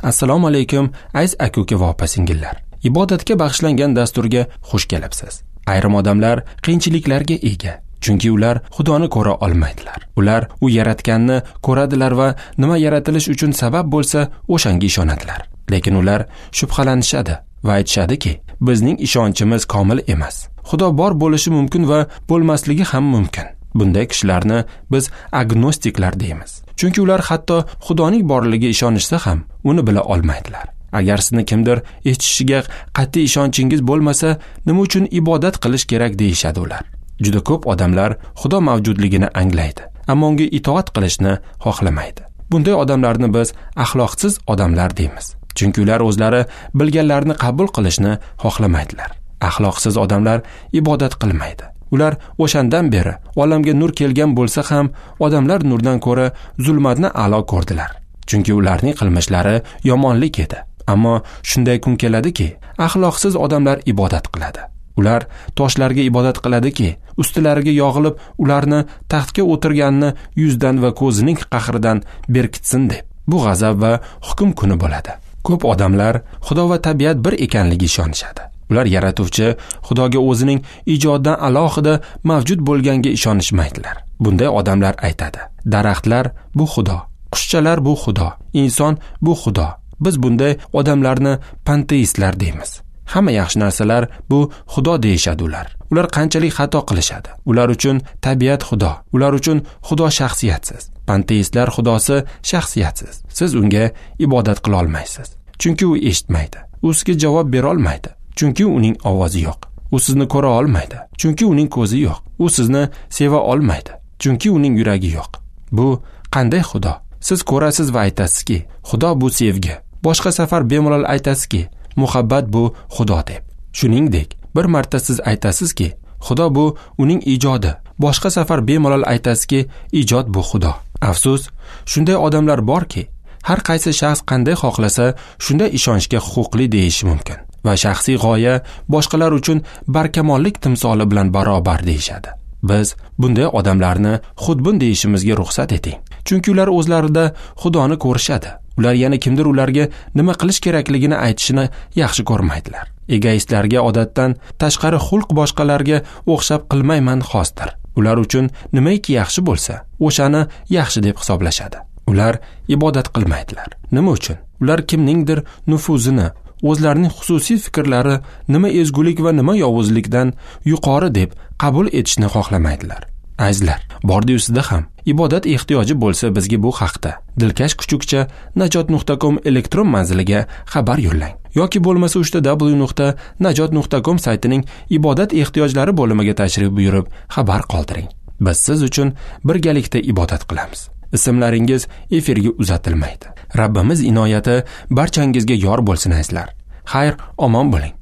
Assalomu alaykum, aziz aka-uka va opa-singillar. Ibodatga bag'ishlangan dasturga xush kelibsiz. Ayrim odamlar qiyinchiliklarga ega, chunki ular Xudoni ko'ra olmaydilar. Ular u yaratganni ko'radilar va nima yaratilish uchun sabab bo'lsa, o'shanga ishonadilar. Lekin ular shubhalanishadi va aytishadiki, bizning ishonchimiz komil emas. Xudo bor bo'lishi mumkin va bo'lmasligi ham mumkin. Bunday kishilarni biz agnostiklar deymiz. Chunki ular hatto Xudoning borligiga ishonishsa ham, uni bila olmaydilar. Agar sizni kimdir eshitishiga qat'iy ishonchingiz bo'lmasa, nima uchun ibodat qilish kerak deyishadi ular. Juda ko'p odamlar Xudo mavjudligini anglaydi, ammo unga itoat qilishni xohlamaydi. Bunday odamlarni biz axloqsiz odamlar deymiz. Chunki ular o'zlari bilganlarini qabul qilishni xohlamaydilar. Axloqsiz odamlar ibodat qilmaydi. Ular o'shandan beri olamga nur kelgan bo'lsa ham, odamlar nurdan ko'ra zulmatni a'lo ko'rdilar. Chunki ularning qilmishlari yomonlik edi. Ammo shunday kun keladiki, axloqsiz odamlar ibodat qiladi. Ular toshlarga ibodat qiladiki, ustilariga yog'ilib, ularni taxtga o'tirganni yuzdan va ko'zining qahridan berkitsin deb. Bu g'azab va hukm kuni bo'ladi. Ko'p odamlar Xudo va tabiat bir ekanligiga ishonishadi. Ular yaratuvchi Xudoga o'zining ijodidan alohida mavjud bo'lganga ishonishmaydilar. Bunday odamlar aytadi: daraxtlar bu Xudo, qushchalar bu Xudo, inson bu Xudo. Biz bunday odamlarni panteistlar deymiz. Hamma yaxshi narsalar bu Xudo deyishadi ular. Ular qanchalik xato qilishadi. Ular uchun tabiat Xudo, ular uchun Xudo shaxsiyatsiz. Panteistlar Xudosi shaxsiyatsiz. Siz unga ibodat qila olmaysiz. Chunki u eshitmaydi. U sizga javob bera olmaydi. Chunki uning ovozi yo'q. U sizni ko'ra olmaydi. Chunki uning ko'zi yo'q. U sizni seva olmaydi. Chunki uning yuragi yo'q. Bu qanday Xudo? Siz ko'rasiz va aytasizki, Xudo bu sevgi. Boshqa safar bemalol aytasizki, muhabbat bu Xudo deb. Shuningdek, bir marta siz aytasizki, Xudo bu uning ijodi. Boshqa safar bemalol aytasizki, ijod bu Xudo. Afsus, shunday odamlar borki, har qaysi shaxs qanday xohlasa, shunday ishonchga huquqli deyishi mumkin va shaxsiy g'oya boshqalar uchun barkamollik timsoli bilan barobar deyishadi. Biz bunday odamlarni xudbin deyishimizga ruxsat eting. Chunki ular o'zlarida Xudoni ko'rishadi. Ular yana kimdir ularga nima qilish kerakligini aytishini yaxshi ko'rmaydilar. Egoistlarga odatdan tashqari xulq boshqalarga o'xshab qilmayman xosdir. Ular uchun nimaiki yaxshi bo'lsa, o'shani yaxshi deb hisoblashadi. Ular ibodat qilmaydilar. Nima uchun? Ular kimningdir nufuzini, o'zlarining xususiy fikrlari nima ezgulik va nima yovuzlikdan yuqori deb qabul etishni xohlamaydilar. Azizlar, bordi-yu sizda ham ibodat ehtiyoji bo'lsa, bizga bu haqda dilkash kuchukcha najot.com elektron manziliga xabar yo'llang yoki bo'lmasa www.najot.com saytining ibodat ehtiyojlari bo'limiga tashrif buyurib xabar qoldiring. Biz siz uchun birgalikda ibodat qilamiz. Ismlaringiz efirga uzatilmaydi. Rabbimiz inoyati barchangizga yor bo'lsin azizlar. Xayr, omon bo'ling.